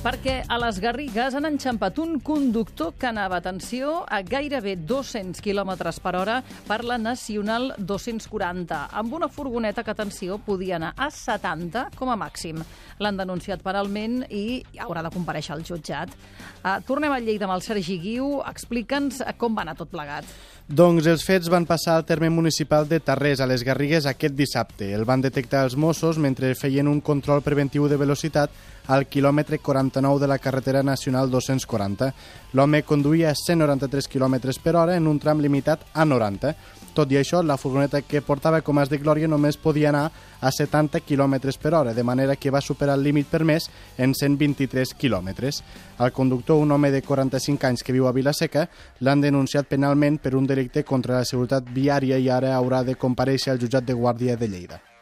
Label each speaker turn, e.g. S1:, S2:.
S1: Perquè a les Garrigues han enxampat un conductor que anava, atenció, a gairebé 200 km per hora per la Nacional 240, amb una furgoneta que, atenció, podia anar a 70 com a màxim. L'han denunciat penalment i haurà de comparèixer al jutjat. Tornem a Lleida amb el Sergi Guiu. Explica'ns com va anar tot plegat.
S2: Doncs els fets van passar al terme municipal de Tarrés, a les Garrigues, aquest dissabte. El van detectar els Mossos mentre feien un control preventiu de velocitat al quilòmetre 49 de la carretera nacional 240. L'home conduïa a 193 km per hora en un tram limitat a 90. Tot i això, la furgoneta que portava com as de glòria només podia anar a 70 km per hora, de manera que va superar el límit permès en 123 km. El conductor, un home de 45 anys que viu a Vila-seca, l'han denunciat penalment per un delicte contra la seguretat viària i ara haurà de comparèixer al jutjat de Guàrdia de Lleida.